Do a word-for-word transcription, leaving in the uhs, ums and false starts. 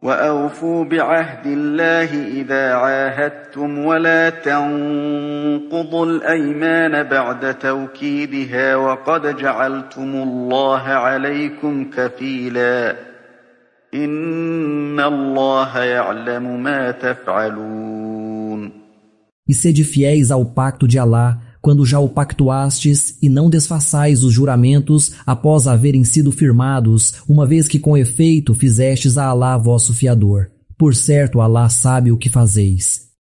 وأوفوا بعهد الله إذا عاهدتم ولا تنقضوا الأيمان بعد توكيدها وقد جعلتم الله عليكم كفيلا إن الله يعلم ما تفعلون. E sede fiéis ao pacto de Alá, quando já o pactuastes, e não desfaçais os juramentos após haverem sido firmados, uma vez que com efeito fizestes a Alá vosso fiador. Por certo, Alá sabe o que fazeis.